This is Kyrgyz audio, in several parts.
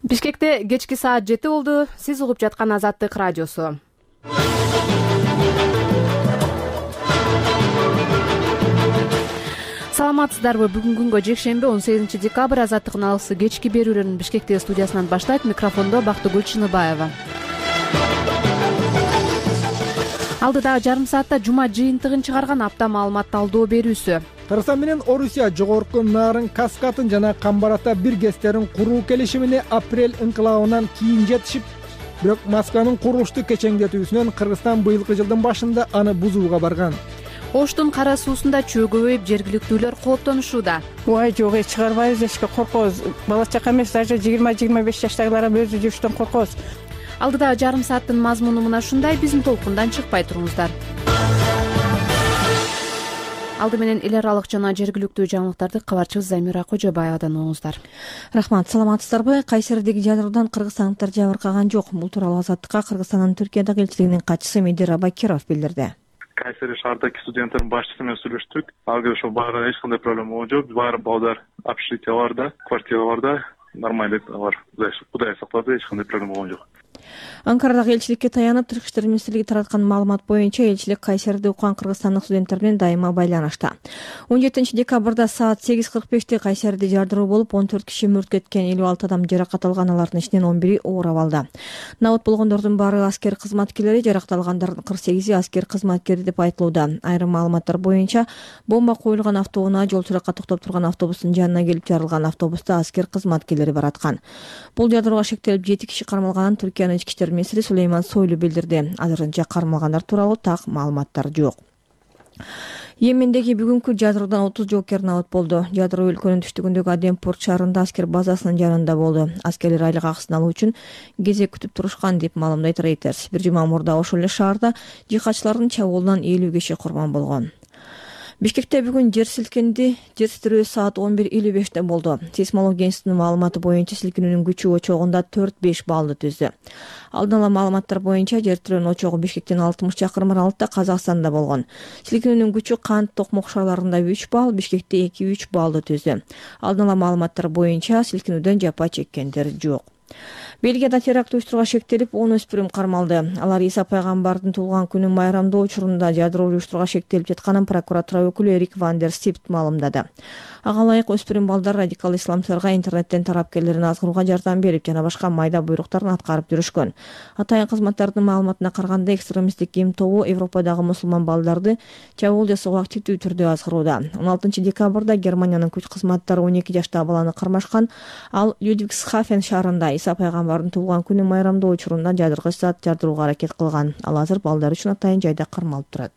Бишкекте кечки саат 7 болду. Сиз угуп жаткан Азаттык радиосу. Саламатсыздарбы? Бүгүн күнгө жекшемби 18 декабрь Азаттыктын алысы кечки берүүлөрүн Бишкектеги студиясынан баштайт. Микрофондо Бактыгүл Чыныбаева. Алдыдагы жарым саатта жума жыйынтыгын чыгарган апта маалымат талдоо берүүсү. Кыргызстан менен Орусия жогорку Нарын Каскатын жана Камбарата бир ГЭСтерин куруу келишимине апрель инкылабынан кийин жетишип, бирок Москванын курулушту кечеңдетүүсүнөн Кыргызстан быйылкы жылдын башында аны бузууга барган. Оштун кара суусунда чөө көбөйүп, жергиликтүүлөр кооптонушууда. Ой, жок, чыгарбайбыз, эчке коркобуз. Бала чака эмес, даже 20-25 жаштагылар өзү жүрүштөн коркобуз. Алдыдагы жарым сааттын мазмуну мына ушундай. Биздин толкундан чыкпай туруңуздар. Алды менен эл аралык жана жергиликтүү жаңылыктарды кабарчыбыз Замира Кожобаевадан угуңуздар. Рахмат, саламатсыздарбы? Кайсердеги жадыруудан кыргызстандыктар жабыркаган жок. Бул тууралуу Азаттыкка Кыргызстандын Түркиядагы элчилигинин катчысы Медир Абакиров билдирди. Кайсери шаардагы студенттердин башчысы менен сүйлөштүк. Алга ошо баарында эч кандай проблема жок. Баары балдар общежитие бар да, квартира бар да, нормально бар. Кудай сактады, эч кандай проблема жок. Анкарадагы элчиликке таянып, Тышкы иштер министрлиги тараткан маалымат боюнча элчилик Кайсерде уккан кыргызстандык студенттер менен дайыма байланышта. 17 декабрда саат 8:45 Кайсерде жардыруу болуп, 14 киши мөрт кеткен, 56 адам жаракат алган, алардын ичинен 11 оор абалда. Набыт болгондордун баары аскер кызматкерлери, жаракат алгандардын 48 аскер кызматкери деп айтылууда. Айрым маалыматтар боюнча, бомба коюлган автоунаа жол суракка токтоп турган автобустун жанына келип жарылган. Автобуста аскер кызматкерлери бараткан. Бул жардырууга шектелип 7 киши кармалганын Түркиянын ички иштер министри Сулейман Сойлу билдирди. Азырынча кармалгандар тууралуу так маалыматтар жок. Йемендеги бүгүнкү жадыруудан 30 жоокер набыт болду. Жадыруу өлкөнүн түштүгүндөгү Адемпорт шаарында аскер базасынын жанында болду. Аскерлер айлык акысын алуу үчүн кезек күтүп турушкан деп маалымдайт Reuters. Бир жума мурда ошол эле шаарда жихадчылардын чабуулунан 50 киши курман болгон. Бишкекте бүгүн жер силкинди. Жер титирөө саат 11:55 болду. Сейсмология институтунун маалыматы боюнча силкинүүнүн күчү очогунда 4-5 баллды түздү. Алдын ала маалыматтар боюнча жер титирөөнүн очогу Бишкектен 60 чакырым аралыкта Казакстанда болгон. Силкинүүнүн күчү Кант Токмок шаарларында 3 балл, Бишкекте 2-3 баллды түздү. Алдын ала маалыматтар боюнча силкинүүдөн жапа чеккендер жок. Бельгияда теракт уюштурууга шектелип 10 өспүрүм кармалды. Алар Иса пайгамбардын туулган күнүн майрамдоо учурунда жадыруу уюштурууга шектелип жатканын прокуратура өкүлү Эрик Ван дер Стипт маалымдады. Ага ылайык өспүрүм балдар радикал исламчыларга интернеттен тарапкерлерин азгырууга жардам берип жана башка майда буйруктарын аткарып жүрүшкөн. Атайын кызматтардын маалыматына караганда, экстремисттик ким тобу Европадагы мусулман балдарды чабуул жасоого активдүү түрдө азгырууда. 16 декабрда Германиянын күч кызматтары 12 жаштагы баланы кармашкан. Ал Людвигсхафен шаарында Иса пайгамбардын туулган күнүн майрамдоо учурунда жадыргыч зат жардырууга аракет кылган. Ал азыр балдар үчүн атайын жайда кармалып турат.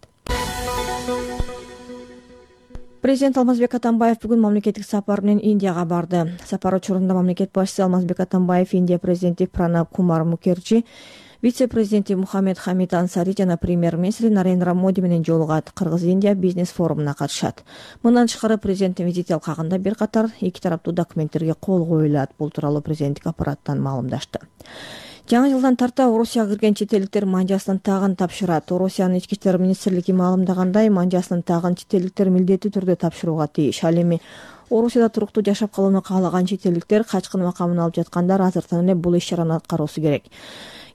Президент Алмазбек Атамбаев бүгүн мамлекеттик сапар менен Индияга барды. Сапар учурунда мамлекет башчысы Алмазбек Атамбаев Индия президенти Пранаб Кумар Мукерджи, вице-президенти Мухаммед Хамид Ансари жана премьер-министри Нарендра Моди менен жолугат. Кыргыз-Индия бизнес форумуна катышат. Мындан тышкары президенттин визит алкагында бир катар эки тараптуу документтерге кол коюлат. Бул тууралуу президенттик аппараттан маалымдашты. Жаңы жылдан тарта Орусияга кирген чет элдиктер манжасын тагын тапшырат. Орусиянын ички иштер министрлиги маалымдагандай, манжасын тагын чет элдиктер милдеттүү түрдө тапшырууга тийиш. Ал эми Орусияда туруктуу жашап калууну каалаган чет элдиктер, качкын макамын алып жаткандар азыртан эле бул иш-чараны аткаруусу керек.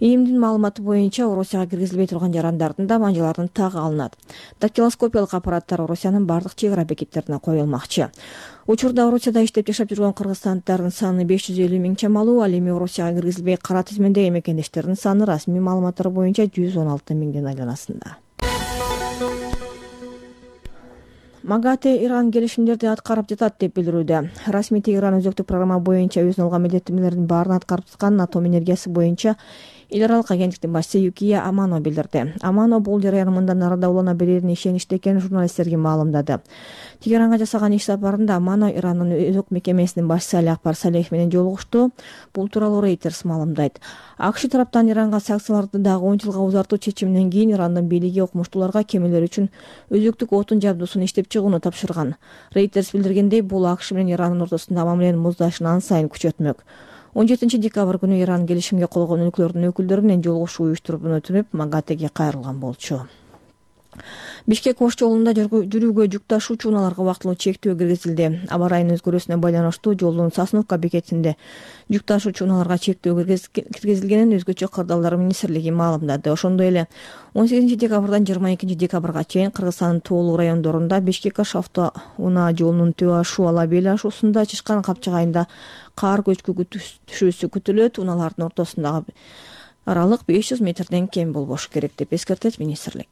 ИИМдин маалыматы боюнча Орусияга киргизилбей турган жарандардын да манжалардын тагы алынат. Дактилоскопиялык аппараттар Орусиянын бардык чек ара бекеттерине коюлмакчы. Учурда Орусияда иштеп жашап жүргөн кыргызстандыктардын саны 550 миң чамалуу. Ал эми Орусияга киргизилбей кара тизмедеги мекендештердин саны расмий маалыматтар боюнча 116 миңдин айланасында. МАГАТЭ Иран келишимдерди аткарып жатат деп билдирүүдө. Расмий Тегеран өзөктүк программа боюнча өзүнө алган милдеттенмелердин баарын аткарып жатканын атом энергиясы боюнча эл аралык агенттиктин башчысы Юкия Амано билдирди. Амано бул жарыян мындан арада улана берерин ишеничте экенин журналисттерге маалымдады. Тегеранга жасаган иш сапарында Амано Ирандын өзөк мекемесинин башчысы Али Акбар Салеев менен жолугушту. Бул тууралуу Reuters маалымдайт. АКШ тараптан Иранга санкцияларды дагы 10 жылга узартуу чечиминен кийин Ирандын бийлиги окумуштууларга кемелер үчүн өзөктүк отун жабдуусун иштеп чыгууну тапшырган. Reuters билдиргендей, бул АКШ менен Ирандын ортосунда мамиленин муздашын ан сайын күчөтмөк. 17 декабрь күнү Иран келишимге кол койгон өлкөлөрдүн өкүлдөрү менен жолугушуу уюштуруп өтүнүп, МАГАТЭге кайрылган болчу. Бишкек Ош жолунда жүрүүгө жүк ташуучу унааларга убактылуу чектөө киргизилди. Аба ырайынын өзгөрүүсүнө байланыштуу жолдун Сосновка бекетинде жүк ташуучу унааларга чектөө киргизилгенин өзгөчө кырдаалдар министрлиги маалымдады. Ошондой эле 18 декабрдан 22 декабрга чейин Кыргызстандын тоолуу райондорунда Бишкек-Ош авто унаа жолунун Төбө ашуу Ала Бел ашуусунда Чычкан Капчык айында кар көчкү түшүүсү күтүлөт. Унаалардын ортосундагы аралык 500 метрден кем болбошу керек деп эскертет министрлик.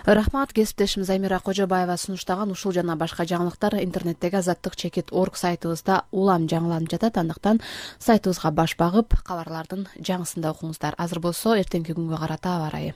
Рахмат. Кесиптешим Замира Кожобаева сунуштаган ушул жана башка жаңылыктар интернеттеги azаттык.org сайтыбызда улам жаңыланып жатат. Андыктан сайтыбызга баш багып, кабарлардын жаңысында окуңуздар. Азыр болсо эртеңки күнгө карата аба ырайы.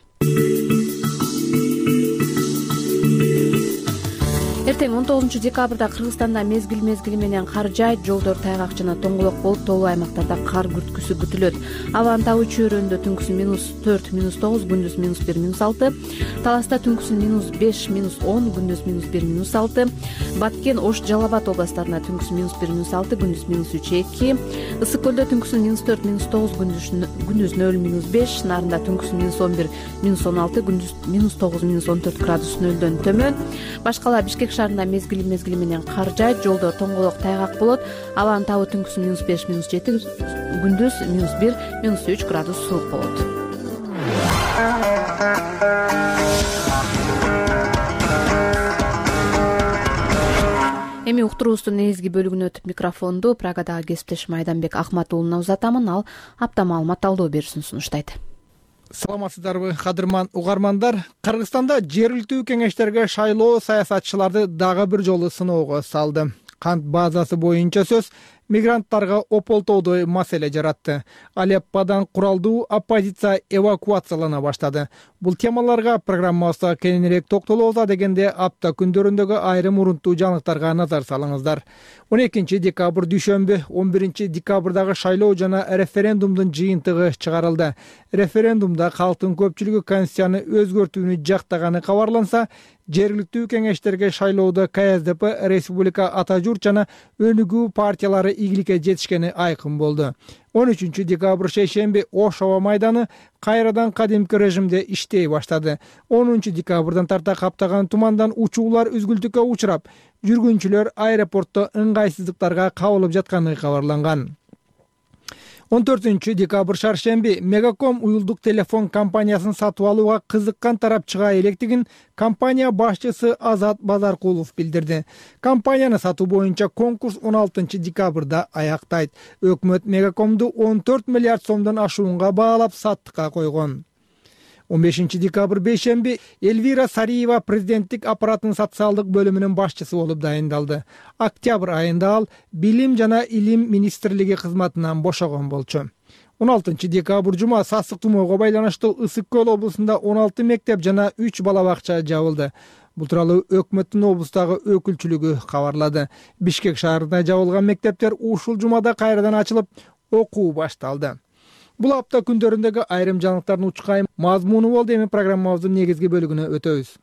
Эртең 19 декабрда Кыргызстанда мезгил менен кар жаайт, жолдор тайгак жана тоңголок болуп, тоолуу аймактарда кар күрткүсү күтүлөт. Абанын табуу чөйрөндө түнкүсүн -4, -9, күндүз -1, -6, Таласта түнкүсүн -5, -10, күндүз -1, -6, Баткен, Ош, Жалал Абад областарында түнкүсүн -1, -6, күндүз -3, -2, Ысык көлдө түнкүсүн -4, -9, күндүз 0, -5, Нарында түнкүсүн -11, -16, күндүз -9, -14 градус нөлдөн төмөн. Башкалар Бишкек шаарында мезгили менен кар жаайт, жолдор тоңголок тайгак болот. Абанын табуу түнкүсүн -5, -7, күндүз -1, -3 градус суук болот. Эми уктуруубуздун негизги бөлүгүнө өтүп микрофонду Прагадагы кесиптешим Айданбек Акматуулуна узатамын. Ал апта маалымат талдоо берүүсүн сунуштайт. Саламатсыздарбы, кадырман угармандар. Кыргызстанда жергиликтүү кеңештерге шайлоо саясатчыларды дагы бир жолу сыноого салды. Кант базасы боюнча сөз мигранттарга ополтоодой маселе жаратты. Алепподан куралдуу оппозиция эвакуациялана баштады. Бул темаларга программабызда кеңирээк токтолобуз дегенде апта күндөрүндөгү айрым урунттуу жаңылыктарга назар салыңыздар. 12 декабрь дүйшөмбү, 11 декабрдагы шайлоо жана референдумдун жыйынтыгы чыгарылды. Референдумда калктын көпчүлүгү конституцияны өзгөртүүнү жактаганы кабарланса, жергиликтүү кеңештерге шайлоодо КСДП, Республика Ата журт жана Өнүгүү партиялары ийгиликке жетишкени айкын болду. 13 декабрь шейшемби Ош аба майданы кайрадан кадимки режимде иштей баштады. 10 декабрдан тарта каптаган тумандан учуулар үзгүлтүккө учурап, жүргүнчүлөр аэропортто ыңгайсыздыктарга кабылып жатканы кабарланган. 14 декабрь шаршемби Мегаком уюлдук телефон компаниясын сатып алууга кызыккан тарап чыга электигин компания башчысы Азат Базаркулов билдирди. Компанияны сатуу боюнча конкурс 16 декабрда аяктайт. Өкмөт Мегакомду 14 миллиард сомдон ашуунга баалап саттыкка койгон. 15 декабрь бейшемби Эльвира Сариева президенттик аппараттын социалдык бөлүмүнүн башчысы болуп дайындалды. Октябрь айында ал Билим жана Илим министрлиги кызматынан бошогон болчу. 16 декабрь жума сасык тумоого байланыштуу Ысык көл облусунда 16 мектеп жана 3 бала бакча жабылды. Бул тууралуу өкмөттүн облустагы өкүлчүлүгү кабарлады. Бишкек шаарында жабылган мектептер ушул жумада кайрадан ачылып, окуу башталды. Бул апта күндөрүндөгү айрым жаңылыктардын учкайым мазмуну болду. Эми программабыздын негизги бөлүгүнө өтөбүз.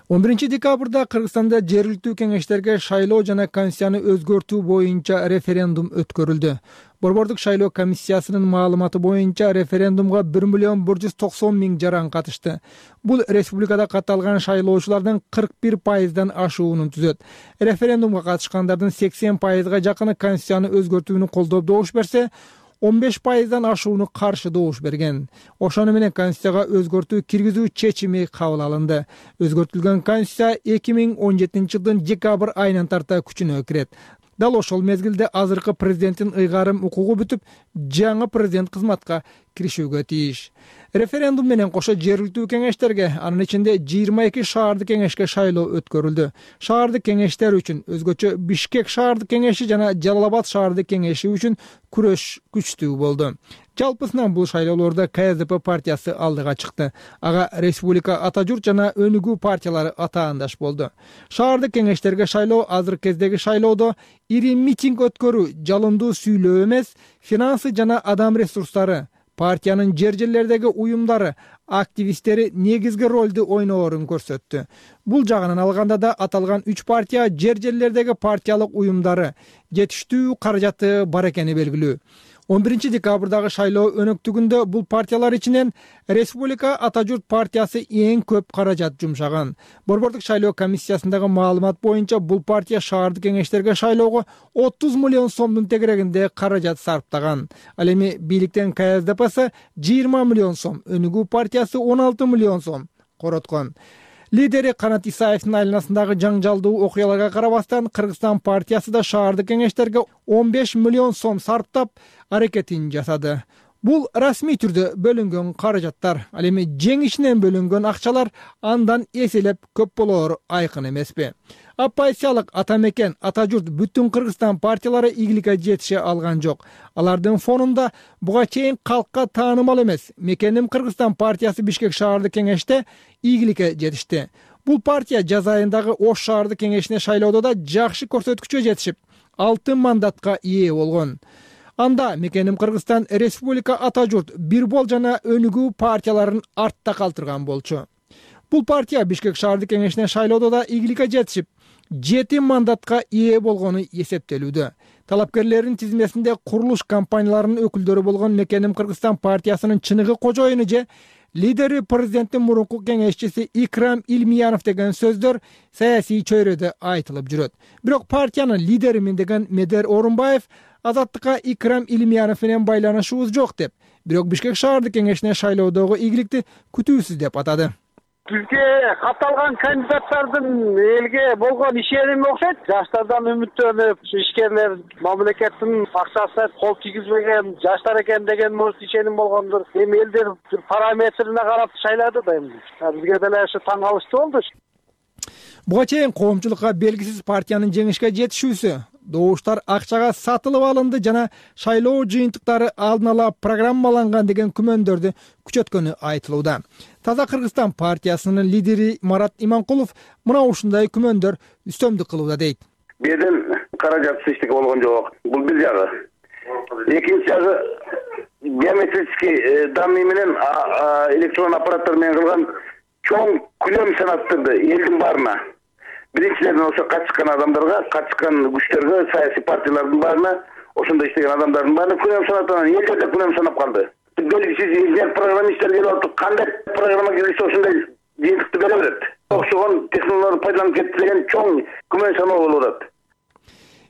11 декабрда Кыргызстанда жергиликтүү кеңештерге шайлоо жана конституцияны өзгөртүү боюнча референдум өткөрүлдү. Борбордук шайлоо комиссиясынын маалыматы боюнча референдумга 1,190,000 жаран катышты. Бул республикада катталган шайлоочулардын 41%дан ашуунун түзөт. Референдумга катышкандардын 80%га жакыны конституцияны өзгөртүүнү колдоп добуш берсе, 15%дан ашууну каршы добуш берген. Ошону менен конституцияга өзгөртүү киргизүү чечими кабыл алынды. Өзгөртүлгөн конституция 2017 жылдын декабрь айынан тарта күчүнө кирет. Дал ошол мезгилде азыркы президенттин ыйгарым укугу бүтүп, жаңы президент кызматка киришүүгө тийиш. Референдум менен кошо жергиликтүү кеңештерге, анын ичинде 22 шаардык кеңешке шайлоо өткөрүлдү. Шаардык кеңештер үчүн өзгөчө Бишкек шаардык кеңеши жана Жалал Абад шаардык кеңеши үчүн күрөш күчтүү болду. Жалпысынан бул шайлоолордо КСДП партиясы алдыга чыкты. Ага Республика Ата журт жана Өнүгүү партиялары атаандаш болду. Шаардык кеңештерге шайлоо азыркы кездеги шайлоодо ири митинг өткөрүү, жалындуу сүйлөө эмес, финансы жана адам ресурстары, партиянын жер-жерлердеги уюмдары, активисттери негизги ролду ойноорун көрсөттү. Бул жагынан алганда да аталган 3 партия жер-жерлердеги партиялык уюмдары жетиштүү каражаты бар экени белгилүү. 11 декабрдагы шайлоо өнөктүгүндө бул партиялар ичинен Республика Ата журт партиясы эң көп каражат жумшаган. Борбордук шайлоо комиссиясындагы маалымат боюнча бул партия шаардык кеңештерге шайлоого 30 миллион сомдун тегерегинде каражат сарптаган. Ал эми бийликтен КСДПсы 20 миллион сом, Өнүгүү партиясы 16 миллион сом короткон. Лидери Канат Исаевдин айланасындагы жаңжалдуу окуяларга карабастан Кыргызстан партиясы да шаардык кеңештерге 15 миллион сом сарптап аракетин жасады. Бул расмий түрдө бөлүнгөн каражаттар. Ал эми жеңишинен бөлүнгөн акчалар андан эселеп көп болоору айкын эмеспи? Оппозициялык Ата мекен, Ата журт бүтүн Кыргызстан партиялары ийгиликке жетише алган жок. Алардын фонунда буга чейин калкка таанымал эмес Мекеним Кыргызстан партиясы Бишкек шаардык кеңеште ийгиликке жетишти. Бул партия жаз айындагы Ош шаардык кеңешине шайлоодо да жакшы көрсөткүчкө жетишип, 6 мандатка ээ болгон. Анда Мекеним Кыргызстан, Республика Ата журт, Бирбол жана Өнүгүү партияларын артта калтырган болчу. Бул партия Бишкек шаардык кеңешине шайлоодо да ийгиликке жетишип, 7 мандатка ээ болгону эсептелүүдө. Талапкерлердин тизмесинде курулуш компанияларынын өкүлдөрү болгон Мекеним Кыргызстан партиясынын чыныгы кожоюну же лидери президенттин мурунку кеңешчиси Икрам Илмиянов деген сөздөр саясий чөйрөдө айтылып жүрөт. Бирок партиянын лидеримин деген Медер Орунбаев Азаттыкка Икрам Илмиянов менен байланышыбыз жок деп, бирок Бишкек шаардык кеңешине шайлоодогу ийгиликти күтүүсүз деп атады. Бизге катталган кандидаттардын элге болгон ишеними окшойт. Жаштардан үмүттөнүп, ишкерлер мамлекеттин акчасы кол тийгизбеген жаштар экен деген может ишеним болгондур. Эми элдер параметрине карап шайлады да эми. Бизге деле ушу таң калыштуу болду. Буга чейин коомчулукка белгисиз партиянын жеңишке жетишүүсү, добуштар акчага сатылып алынды жана шайлоо жыйынтыктары алдын ала программаланган деген күмөндөрдү күчөткөнү айтылууда. Таза Кыргызстан партиясынын лидери Марат Иманкулов мына ушундай күмөндөр үстөмдүк кылууда дейт. Беден каражатсыз эчтеке болгон жок. Бул бир жагы. Экинчи жагы биометрический данный менен электрон аппараттар менен кылган чоң күлөм санаттырды элдин баарына. Биринчиден ошо качкан адамдарга, качкан күчтөргө, саясий партиялардын баарына, ошондо иштеген адамдардын баарына күлөм санаттан элдер да күлөм санап калды. Белгисиз инженер программисттер келип атып, кандай программа келсе ошондой жыйынтыкты бере берет. Окшогон технологияларды пайдаланып кетти деген чоң күмөн саноо болуп атат.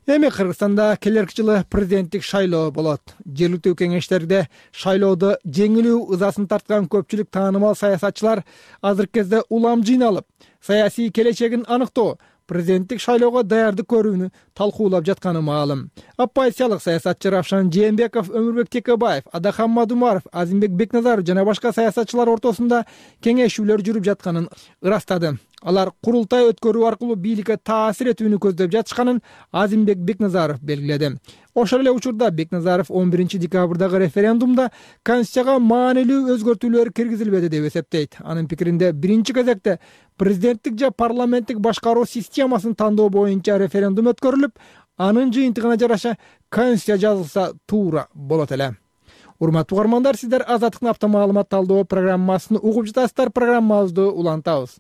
Эми Кыргызстанда келерки жылы президенттик шайлоо болот. Жергиликтүү кеңештерде шайлоодо жеңилүү ызасын тарткан көпчүлүк таанымал саясатчылар азыркы кезде улам жыйналып, саясий келечегин аныктоо, президенттик шайлоого даярдык көрүүнү талкуулап жатканы маалым. Оппозициялык саясатчы Равшан Жээнбеков, Өмүрбек Текебаев, Адахан Мадумаров, Азимбек Бекназаров жана башка саясатчылар ортосунда кеңешүүлөр жүрүп жатканын ырастады. Алар курултай өткөрүү аркылуу бийликке таасир этүүнү көздөп жатышканын Азимбек Бекназаров белгиледи. Ошол эле учурда Бекназаров 11 декабрдагы референдумда Конституцияга маанилүү өзгөртүүлөр киргизилбеди деп эсептейт. Анын пикиринде биринчи кезекте президенттик же парламенттик башкаруу системасын тандоо боюнча референдум өткөрүлүп, анын жыйынтыгына жараша Конституция жазылса туура болот эле. Урматтуу угармандар, сиздер Азаттыктын автомаалымат талдоо программасын угуп жатасыздар. Программабызды улантабыз.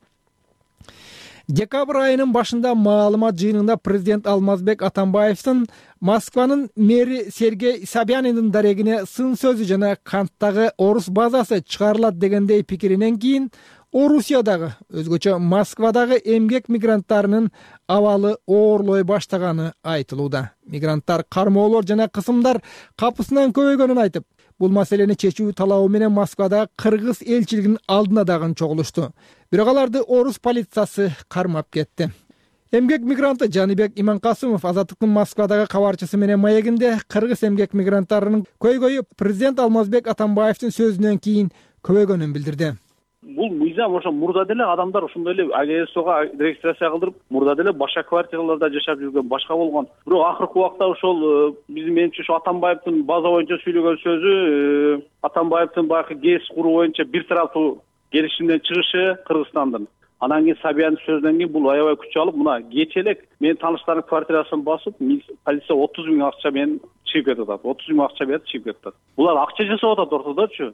Декабрь айынын башында маалымат жыйынында президент Алмазбек Атамбаевдин Москванын мэри Сергей Собяниндин дарегине сын сөзү жана Канттагы орус базасы чыгарылат дегендей пикиринен кийин Орусиядагы, өзгөчө Москвадагы эмгек мигранттарынын абалы оорлой баштаганы айтылууда. Мигранттар кармоолор жана кысымдар капысынан көбөйгөнүн айтып, бул маселени чечүү талабы менен Москвада кыргыз элчилигинин алдына дагы чогулушту. Бирок аларды орус полициясы кармап кетти. Эмгек мигранты Жаныбек Иманкасымов Азаттыктын Москвадагы кабарчысы менен маегинде кыргыз эмгек мигранттарынын көйгөйү президент Алмазбек Атамбаевдин сөзүнөн кийин көбөйгөнүн билдирди. Бул мыйзам ошо мурда деле адамдар ошондой эле АГСОга регистрация кылдырып, мурда деле башка квартираларда жашап жүргөн, башка болгон. Бирок акыркы убакта ошол биздин менимче ошо Атамбаевдин база боюнча сүйлөгөн сөзү, Атамбаевдин баягы ГЭС куруу боюнча бир тараптуу келишимден чыгышы Кыргызстандын. Анан кийин Собянин сөзүнөн кийин бул аябай күч алып, мына кече элек менин тааныштардын квартирасын басып, полиция 30 000 акча менен чыгып кетип атат. 30 000 акча берип чыгып кетип атат. Булар акча жасап атат ортодочу.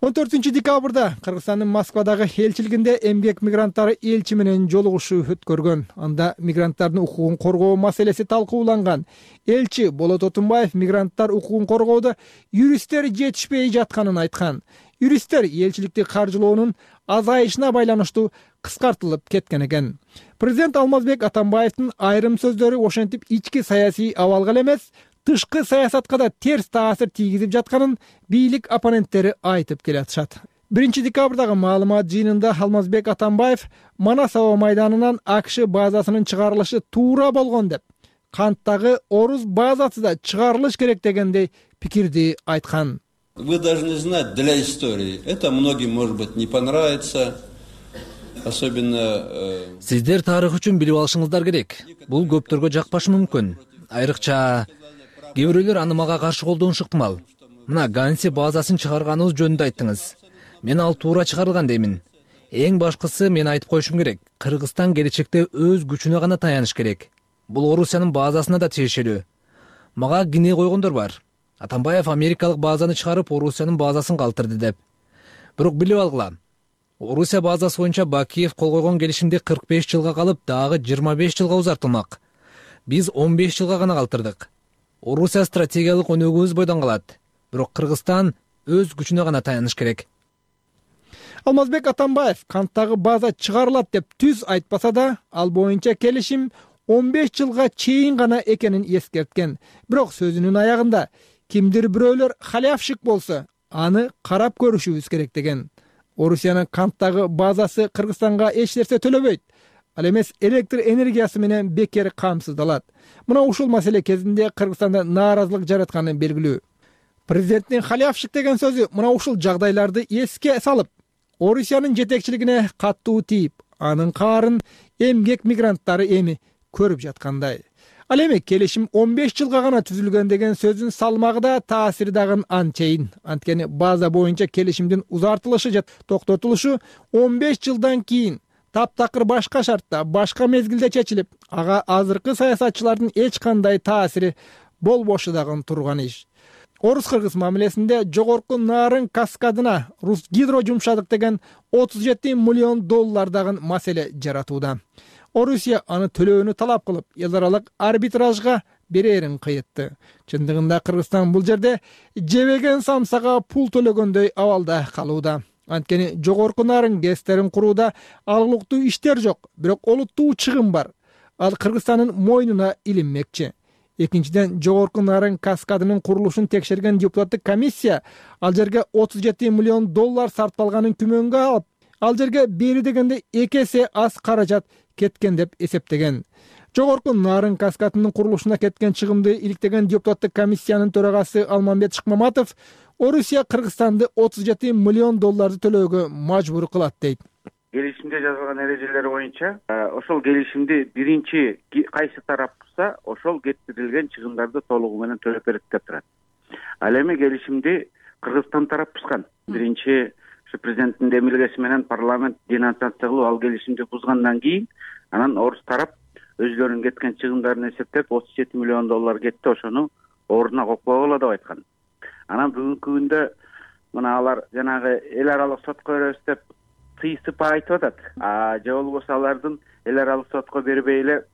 14-декабрда Кыргызстандын Москвадагы элчилигинде эмгек мигранттары элчи менен жолугушуу өткөргөн. Анда мигранттардын укугун коргоо маселеси талкууланган. Элчи Болот Отунбаев мигранттар укугун коргоодо юристтер жетишпей жатканын айткан. Юристтер элчиликти каржылоонун азайышына байланыштуу кыскартылып кеткен экен. Президент Алмазбек Атамбаевдин айрым сөздөрү ошентип ички саясий абалга эмес, тышкы саясатка да терс таасир тийгизип жатканын бийлик оппоненттери айтып келатышат. 1-декабрдагы маалымат жыйынында Алмазбек Атамбаев Манас аба майданынан АКШ базасынын чыгарылышы туура болгон деп, канттагы орус базасы да чыгарылыш керек дегендей пикирди айткан. Вы должны знать для истории. Это многим, может быть, не понравится. Особенно Сиздер тарых үчүн билип алышыңыздар керек. Бул көптөргө жакпашы мүмкүн. Айрыкча кээ бирөөлөр аны мага каршы колдонушу ыктымал. Мына Ганси базасын чыгарганыбыз жөнүндө айттыңыз. Мен ал туура чыгарылган деймин. Эң башкысы мен айтып коюшум керек. Кыргызстан келечекте өз күчүнө гана таяныш керек. Бул Орусиянын базасына да тиешелүү. Мага кине койгондор бар. Атамбаев америкалык базаны чыгарып Орусиянын базасын калтырды деп. Бирок билип алгыла. Орусия базасы боюнча Бакиев кол койгон келишимди 45 жылга калып, дагы 25 жылга узартылмак. Биз 15 жылга гана калтырдык. Орусия стратегиялык өнөгүбүз бойдон калат. Бирок Кыргызстан өз күчүнө гана таяныш керек. Алмазбек Атамбаев канттагы база чыгарылат деп түз айтпаса да, ал боюнча келишим 15 жылга чейин гана экенин эскерткен. Бирок сөзүнүн аягында кимдир бирөөлөр халявшик болсо, аны карап көрүшүбүз керек деген. Орусиянын канттагы базасы Кыргызстанга эч нерсе төлөбөйт. Ал эмес электр энергиясы менен бекер камсыздалат. Мына ушул маселе кезинде Кыргызстанда нааразылык жаратканы белгилүү. Президенттин халявшик деген сөзү мына ушул жагдайларды эске салып, Орусиянын жетекчилигине каттуу тийип, анын каарын эмгек мигранттары эми көрүп жаткандай. Ал эми келишим 15 жылга гана түзүлгөн деген сөзүн салмагы да таасири дагы анчейин. Анткени база боюнча келишимдин узартылышы же токтотулушу 15 жылдан кийин таптакыр башка шартта, башка мезгилде чечилип, ага азыркы саясатчылардын эч кандай таасири болбошу дагы турган иш. Орус-кыргыз мамилесинде жогорку нарын каскадына Русгидро жумшадык деген 37 миллион доллар дагы маселе жаратууда. Орусия аны төлөөнү талап кылып, эл аралык арбитражга берерин кыйытты. Чындыгында Кыргызстан бул жерде жебеген самсага пул төлөгөндөй абалда калууда. Анткени жогорку нарын гэстерин курууда алгылыктуу иштер жок, бирок олуттуу чыгым бар. Ал Кыргызстандын мойнуна илинмекчи. Экинчиден, жогорку нарын каскадынын курулушун текшерген депутаттык комиссия ал жерге 37 миллион доллар сарпталганын күмөнгө алып, ал жерге бери дегенде 2 эсе аз каражат кеткен деп эсептеген. Жогорку нарын каскадынын курулушуна кеткен чыгымды иликтеген депутаттык комиссиянын төрагасы Алмамбет Шыкмаматов Орусия Кыргызстанды 37 миллион долларды төлөөгө мажбур кылат дейт. Келишимде жазылган эрежелер боюнча ошол келишимди биринчи кайсы тарап бузса, ошол кетирилген чыгымдарды толугу менен төлөп берет деп турат. Ал эми келишимди Кыргызстан тарап бузган. Биринчи президенттин демилгеси менен парламент денонсация кылып ал келишимди бузгандан кийин, анан орус тарап өзлөрүнүн кеткен чыгымдарын эсептеп 37 миллион доллар кетти, ошону ордуна коюп койгула деп айткан. Анан бүгүнкү күндө мына алар жанагы эл аралык сотко беребиз деп тыйсып айтып атат. Же болбосо алардын эл аралык сотко бербей эле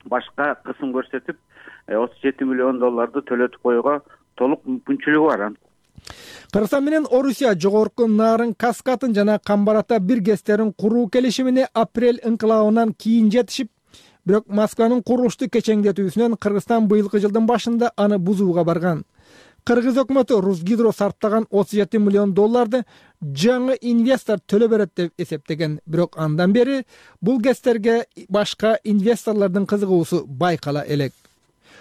башка кысым көрсөтүп 37 миллион долларды төлөтүп коюуга толук мүмкүнчүлүгү бар. Кыргызстан менен Орусия жогорку нарын каскатын жана Камбарата бир гэстерин куруу келишимине апрель ыңкылабынан кийин жетишип, бирок Москванын курулушту кечеңдетүүсүнөн Кыргызстан быйылкы жылдын башында аны бузууга барган. Кыргыз өкмөтү Русгидро сарптаган 37 миллион долларды жаңы инвестор төлөп берет деп эсептеген. Бирок андан бери бул гэстерге башка инвесторлордун кызыгуусу байкала элек.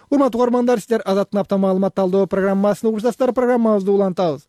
Урматтуу угармандар, сиздер Азаттын апта маалымат талдоо программасын угуп жатасыздар. Программабызды улантабыз.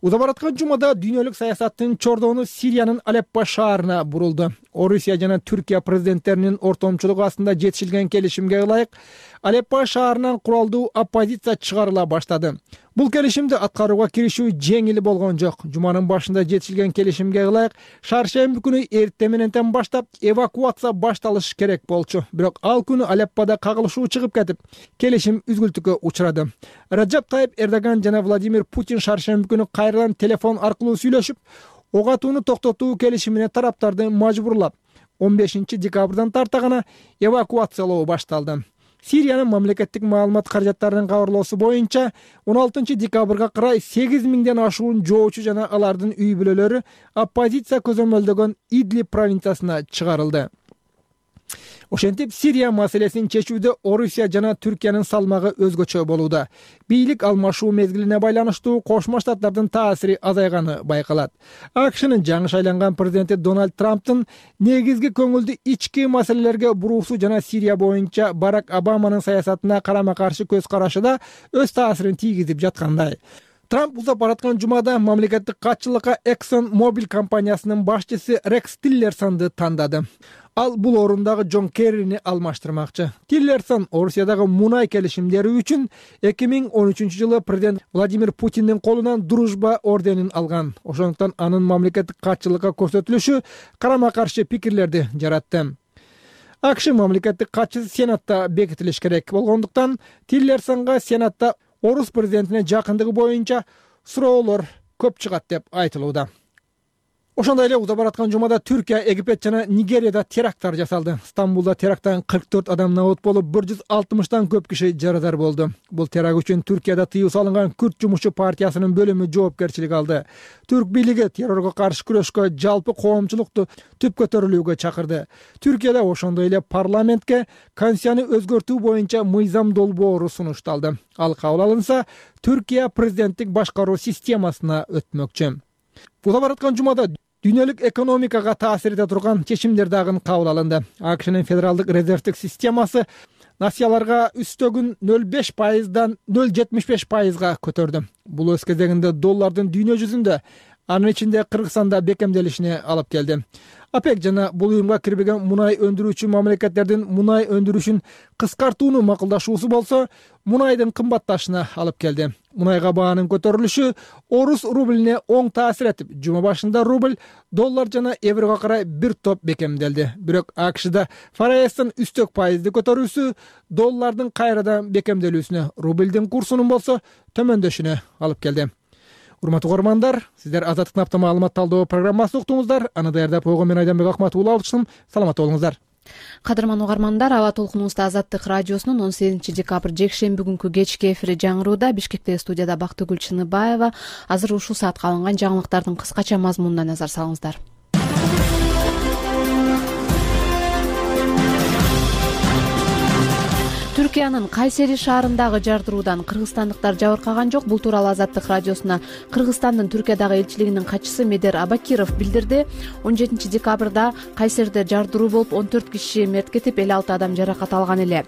Уза бараткан жумада дүйнөлүк саясаттын чордоону Сириянын Алеппо шаарына бурулду. Орусия жана Түркия президенттеринин ортомчулугу астында жетишилген келишимге ылайык Алеппо шаарынан куралдуу оппозиция чыгарыла баштады. Бул келишимди аткарууга киришүү жеңил болгон жок. Жуманын башында жетишилген келишимге ылайык шаршемби күнү эртең мененден баштап эвакуация башталыш керек болчу. Бирок ал күнү Алеппода кагылышуу чыгып кетип, келишим үзгүлтүккө учурады. Раджап Тайип Эрдоган жана Владимир Путин шаршемби күнү кайрадан телефон аркылуу сүйлөшүп, ок атууну токтотуу келишимине тараптарды мажбурлап, 15 декабрдан тарта гана эвакуациялоо башталды. Сириянын мамлекеттик маалымат каражаттарынын кабарлоосу боюнча 16 декабрга карай 8000ден ашуун жоочу жана алардын үй бүлөлөрү оппозиция көзөмөлдөгөн Идлиб провинциясына чыгарылды. Ошентип, Сирия маселесин чечүүдө Орусия жана Түркиянын салмагы өзгөчө болууда. Бийлик алмашуу мезгилине байланыштуу Кошмо Штаттардын таасири азайганы байкалат. АКШнын жаңы шайланган президенти Дональд Трамптын негизги көңүлдү ички маселелерге буруусу жана Сирия боюнча Барак Обаманын саясатына карама-каршы көз карашы да өз таасирин тийгизип жаткандай. Трамп узап бараткан жумада мамлекеттик катчылыкка Exxon Mobil компаниясынын башчысы Рекс Тиллерсонду тандады. Ал бул орундагы Джон Керрини алмаштырмакчы. Тиллерсон Орусиядагы мунай келишимдери үчүн 2013-жылы президент Владимир Путиндин колунан Дружба орденин алган. Ошондуктан анын мамлекеттик катчылыкка көрсөтүлүшү карама-каршы пикирлерди жаратты. АКШ мамлекеттик катчысы Сенатта бекитилиш керек болгондуктан Тиллерсонго Сенатта Орус президентине жакындыгы боюнча суроолор көп чыгат деп айтылууда. Ошондой эле узап бараткан жумада Түркия, Египет жана Нигерияда теракттар жасалды. Стамбулда теракттан 44 адам набут болуп, 160тан көп киши жарадар болду. Бул теракт үчүн Түркияда тыюу салынган Күрд жумушчу партиясынын бөлүмү жоопкерчилик алды. Түрк бийлиги террорго каршы күрөшкө жалпы коомчулукту түп көтөрүлүүгө чакырды. Түркияда ошондой эле парламентке конституцияны өзгөртүү боюнча мыйзам долбоору сунушталды. Ал кабыл алынса, Түркия президенттик башкаруу системасына өтмөкчү. Узап бараткан жумада дүйнөлүк экономикага таасир эте турган чечимдер дагы кабыл алынды. АКШнын федералдык резервдик системасы насияларга үстөгүн 0,5%дан 0,75%га көтөрдү. Бул өз кезегинде доллардын дүйнө жүзүндө, анын ичинде Кыргызстанда бекемделишине алып келди. ОПЕК жана бул уюмга кирбеген мунай өндүрүүчү мамлекеттердин мунай өндүрүшүн кыскартууну макулдашуусу болсо, мунайдын кымбатташына алып келди. Мунайга баанын көтөрүлүшү орус рублине оң таасир этип, жума башында рубль, доллар жана еврого карай бир топ бекемделди. Бирок АКШда ФРСтин үстөк пайызды көтөрүүсү доллардын кайрадан бекемделүүсүнө, рубльдин курсунун болсо төмөндөшүнө алып келди. Урматтуу угармандар, сиздер Азаттык Напта маалымат талдоо программасын уктуңуздар. Аны даярдап койгон мен Айданбек Акматов алчысым. Саламатта болуңуздар. Кадырман угармандар, аба толкунубузда Азаттык радиосунун 18 декабрь жекшемби күнкү кечки эфири жаңырууда. Бишкектеги студияда Бактыгүл Чыныбаева. Азыр ушул саатка алынган жаңылыктардын кыскача мазмунуна назар салыңыздар. Түркиянын Кайсери шаарындагы жардыруудан кыргызстандыктар жабыркаган жок. Бул тууралуу Азаттык радиосуна Кыргызстандын Түркиядагы элчилигинин катчысы Медер Абакиров билдирди. 17 декабрда Кайсерде жардыруу болуп, 14 киши мерт кетип, 56 адам жаракат алган эле.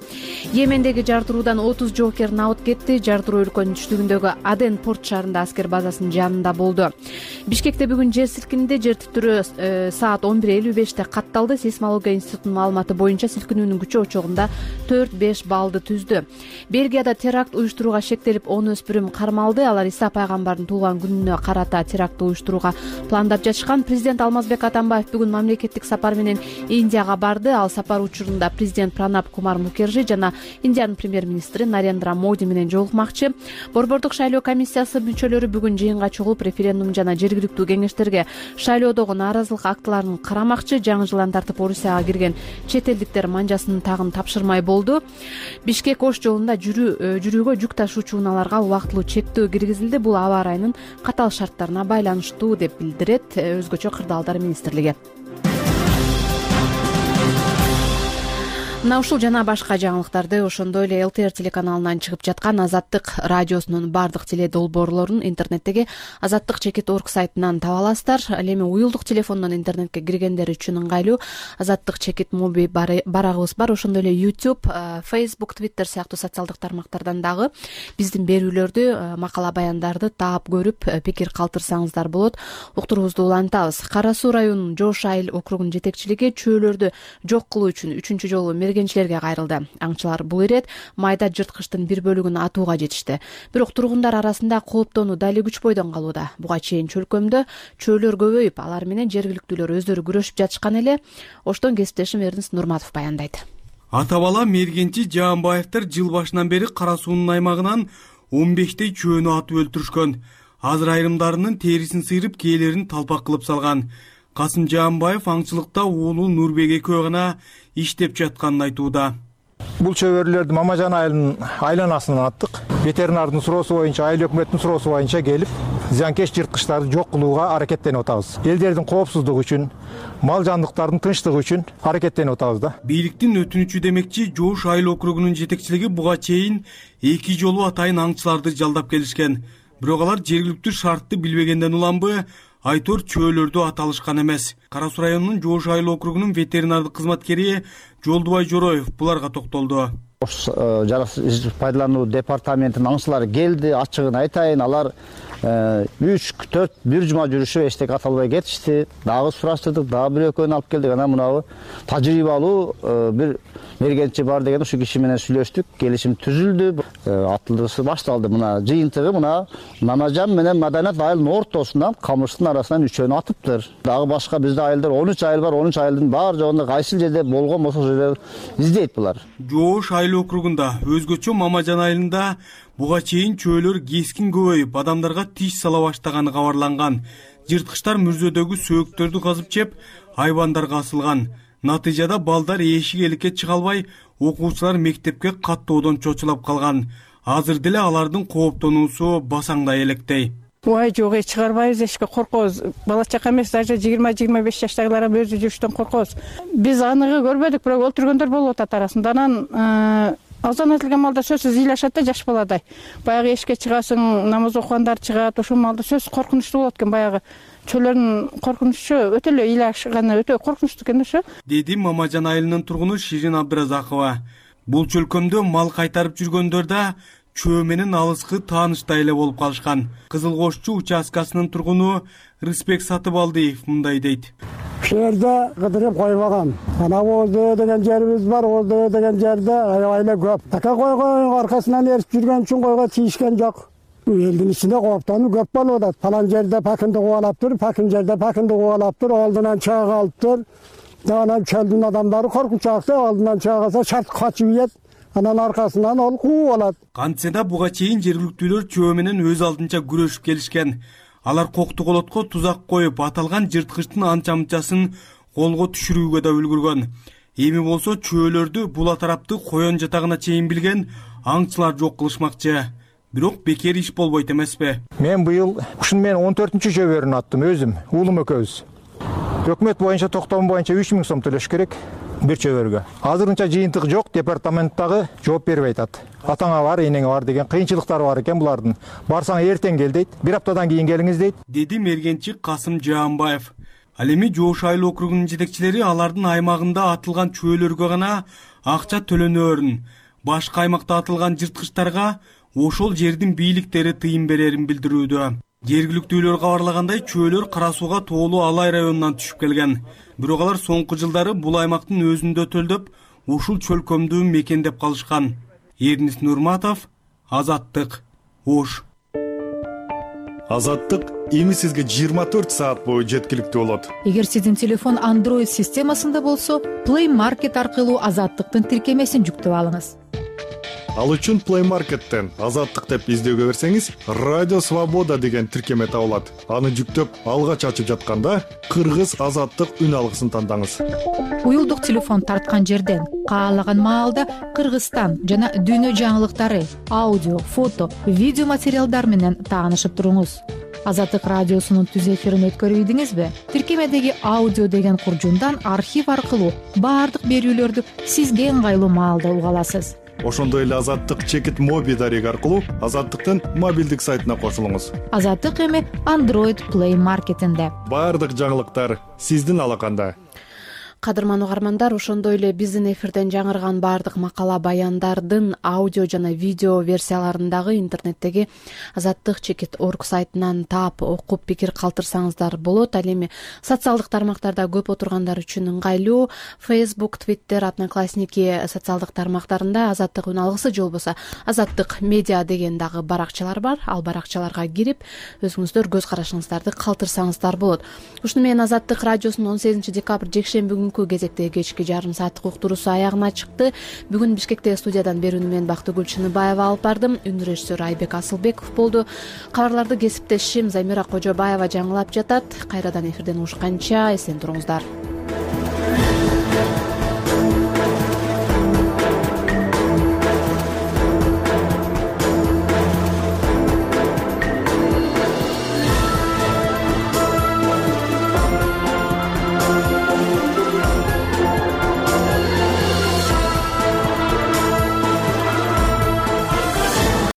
Йемендеги жардыруудан 30 жоокер набыт кетти. Жардыруу өлкөнүн түштүгүндөгү Аден порт шаарында аскер базасынын жанында болду. Бишкекте бүгүн жер силкинди. Жер титирөө саат 11:55-те катталды. Сейсмология институтунун маалыматы боюнча силкинүүнүн күчү очогунда 4-5 баллды түздү. Бельгияда теракт уюштурууга шектелип 10 өспүрүм кармалды. Алар Иса пайгамбардын туулган күнүнө карата теракт уюштурууга пландап жатышкан. Президент Алмазбек Атамбаев бүгүн мамлекеттик сапар менен Индияга барды. Ал сапар учурунда президент Пранаб Кумар Мукержи жана Индиянын премьер-министри Нарендра Моди менен жолукмакчы. Борбордук шайлоо комиссиясы мүчөлөрү бүгүн жыйынга чогулуп, референдум жана жергиликтүү кеңештерге шайлоодогу нааразылык актыларын карамакчы. Жаңы жылдан тартып Орусияга кирген чет элдиктер манжасынын тагын тапшырмай болду. Бишкек Ош жолунда жүрүүгө жүк ташуучу унааларга убактылуу чектөө киргизилди. Бул аба ырайынын катаал шарттарына байланыштуу деп билдирет өзгөчө кырдаалдар министрлиги. Мына ушул жана башка жаңылыктарды ошондой эле ЛТР телеканалынан чыгып жаткан Азаттык радиосунун бардык теле долбоорлорун интернеттеги azattik.org сайтынан таба аласыздар. Ал эми уюлдук телефондон интернетке киргендер үчүн ыңгайлуу Азаттык моби барагыбыз бар. Ошондой эле YouTube, Facebook, Twitter сыяктуу социалдык тармактардан дагы биздин берүүлөрдү, макала баяндарды таап көрүп, пикир калтырсаңыздар болот. Уктуруубузду улантабыз. Кара Суу районунун Жош Айыл округунун жетекчилиги чөөлөрдү жок кылуу үчүн 3-жолу мергенчилерге кайрылды. Аңчылар бул ирет майда жырткычтын бир бөлүгүн атууга жетишти. Бирок тургундар арасында кооптонуу дали күч бойдон калууда. Буга чейин чөлкөмдө чөөлөр көбөйүп, алар менен жергиликтүүлөр өздөрү күрөшүп жатышкан эле. Оштон кесиптешим Эрнис Нурматов баяндайт. Ата бала мергенчи Жаанбаевдер жыл башынан бери Кара суунун аймагынан 15 чөөнү атып өлтүрүшкөн. Азыр айрымдарынын терисин сыйрып, кээлерин талпак кылып салган. Касым Жаанбаев аңчылыкта уулу Нурбек экөө гана иштеп жатканын айтууда. Бул чөбөрлөрдү Мамажан айылынын айланасынан аттык. Ветеринардын суроосу боюнча, айыл өкмөттүн суроосу боюнча келип, зыянкеч жырткычтарды жок кылууга аракеттенип атабыз. Элдердин коопсуздугу үчүн, мал жандыктардын тынчтыгы үчүн аракеттенип атабыз да. Бийликтин өтүнүчү демекчи Жоош айыл округунун жетекчилиги буга чейин 2 жолу атайын аңчыларды жалдап келишкен. Бирок алар жергиликтүү шартты билбегенден уланбы, айтор чөөлөрдү аталышкан эмес. Кара Суу районунун Жоош айыл округунун ветеринардык кызматкери Жолдубай Жороев буларга токтолду. Жаратылыш пайдалануу департаментинин аңчылары келди, ачыгын айтайын, алар 3-4 бир жума жүрүшүп эчтеке аталбай кетишти. Дагы сураштырдык, дагы бир экөөнү алып келдик. Анан мынабы тажрыйбалуу бир мергенчи бар деген ушу киши менен сүйлөштүк, келишим түзүлдү, атылышы башталды. Мына жыйынтыгы мына Мамажан менен Маданат айылынын ортосунан камыштын арасынан үчөөнү атыптыр. Дагы башка бизде айылдар 13 айыл бар, 13 айылдын баары жогунда кайсы жерде болгон болсо ошол жерде издейт булар. Жоош айыл округунда өзгөчө Мамажан айылында буга чейин чөөлөр кескин көбөйүп, адамдарга тиш сала баштаганы кабарланган. Жырткычтар мүрзөдөгү сөөктөрдү казып жеп, айбандарга асылган. Натыйжада балдар эшик эликке чыга албай, окуучулар мектепке каттоодон чочулап калган. Азыр деле алардын кооптонуусу басаңдай электей. Ой, жок, чыгарбайбыз, эшикке коркобуз. Бала чака эмес, даже 20-25 жаштагылар өзү жүрүштөн коркобуз. Биз аныгы көрбөдүк, бирок өлтүргөндөр болуп атат арасында. Анан азан айтылган малда сөзсүз ыйлашат да жаш баладай. Баягы эшикке чыгасың, намаз окугандар чыгат, ошол малда сөз коркунучтуу болот экен. Баягы чөөлөрдүн коркунучу өтө эле ыйлашканы өтө коркунучтуу экен ошо. Деди Мамажан айылынын тургуну Ширин Абдыразакова. Бул чөлкөмдө мал кайтарып жүргөндөр да чөө менен алыскы тааныштай эле болуп калышкан. Кызыл Кошчу участкасынын тургуну Рыспек Сатыбалдиев мындай дейт. Ушул жерде кыдырып койбогон. Ана Оздөө деген жерибиз бар, Оздөө деген жерде аябай эле көп. Така койгон аркасынан эрип жүргөн үчүн койго тийишкен жок. Элдин ичинде кооптонуу көп болуп атат. Палан жерде пакынды кубалаптыр, пакын жерде пакынды кубалаптыр, алдынан чыга калыптыр. Анан чөлдүн адамдары коркунчаакта алдынан чыга калса шарт качып ийет. Анан аркасынан ол кууп алат. Кантсе да буга чейин жергиликтүүлөр чөө менен өз алдынча күрөшүп келишкен. Алар Коктуголотко тузак коюп, аталган жырткычтын анча-мынчасын колго түшүрүүгө да үлгүргөн. Эми болсо чөөлөрдү була тарапты коен жатагына чейин билген аңчылар жок кылышмакчы. Бирок бекер иш болбойт эмеспи? Мен быйыл ушун менен 14-чү чөбөрүн аттым өзүм, уулум экөөбүз. Өкмөт боюнча токтом боюнча 3000 сом төлөш керек бир чөбөргө. Азырынча жыйынтык жок, департаменттагы жооп бербей атат. Атаңа бар, энеңе бар деген кыйынчылыктары бар экен булардын. Барсаң эртең кел дейт, бир аптадан кийин келиңиз дейт. Деди мергенчи Касым Жаанбаев. Ал эми Жоош айыл округунун жетекчилери алардын аймагында атылган чөөлөргө гана акча төлөнөөрүн, башка аймакта атылган жырткычтарга ошол жердин бийликтери тыйын берерин билдирүүдө. Жергиликтүүлөр кабарлагандай, чөөлөр Кара Сууга тоолуу Алай районунан түшүп келген. Бирок алар соңку жылдары бул аймактын өзүндө төлдөп, ушул чөлкөмдү мекендеп калышкан. Эрнис Нурматов, Азаттык, Ош. Азаттык эми сизге 24 саат бою жеткиликтүү болот. Эгер сиздин телефон Android системасында болсо, Play Market аркылуу Азаттыктын тиркемесин жүктөп алыңыз. Ал үчүн Play Market'тен Азаттык деп издөөгө берсеңиз, Радио Свобода деген тиркеме табылат. Аны жүктөп, алгач ачып жатканда Кыргыз Азаттык үн алгысын тандаңыз. Уюлдук телефон тарткан жерден каалаган маалда Кыргызстан жана дүйнө жаңылыктары, аудио, фото, видео материалдар менен таанышып туруңуз. Азаттык радиосунун түз эфирин өткөрүп ийдиңизби? Тиркемедеги аудио деген куржундан архив аркылуу баардык берүүлөрдү сизге ыңгайлуу маалда уга аласыз. Ошондой эле Азаттык чекит моби дареги аркылуу Азаттыктын мобилдик сайтына кошулуңуз. Азаттык эми Android Play Market'инде. Баардык жаңылыктар сиздин алаканда. кадырман угармандар, ошондой эле биздин эфирден жаңырган баардык макала баяндардын аудио жана видео версияларын дагы интернеттеги azattik.org сайтынан таап окуп пикир калтырсаңыздар болот. Ал эми социалдык тармактарда көп отургандар үчүн ыңгайлуу Facebook, Twitter, Одноклассники социалдык тармактарында Азаттык үн алгысы же болбосо Азаттык медиа деген дагы баракчалар бар. Ал баракчаларга кирип өзүңүздөр көз карашыңыздарды калтырсаңыздар болот. Ушуну менен Азаттык радиосунун 18 декабрь жекшемби күнкү кезектеги кечки жарым сааттык уктуруусу аягына чыкты. Бүгүн Бишкектеги студиядан берүүнү мен Бактыгүл Чыныбаева алып бардым. Үн режиссеру Айбек Асылбеков болду. Кабарларды кесиптешим Замира Кожобаева жаңылап жатат. Кайрадан эфирден угушканча эсен туруңуздар.